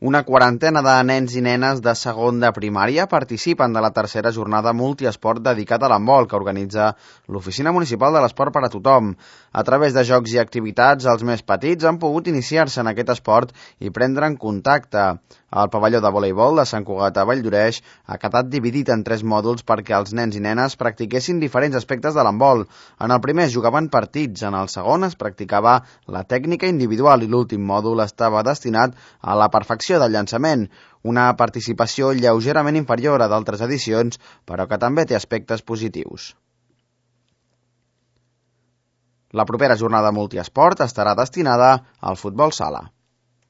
Una quarantena de nens i nenes de segon de primària participen de la tercera jornada multiesport dedicat a l'handbol que organitza l'Oficina Municipal de l'Esport per a Tothom. A través de jocs i activitats, els més petits han pogut iniciar-se en aquest esport i prendre'n contacte. El pavelló de voleibol de Sant Cugat a Valldoreix ha quedat dividit en 3 mòduls perquè els nens i nenes practiquessin diferents aspectes de l'handbol. En el primer es jugaven partits, en el segon es practicava la tècnica individual i l'últim mòdul estava destinat a la perfecció del llançament, una participació lleugerament inferior a d'altres edicions, però que també té aspectes positius. La propera jornada multiesport estarà destinada al futbol sala.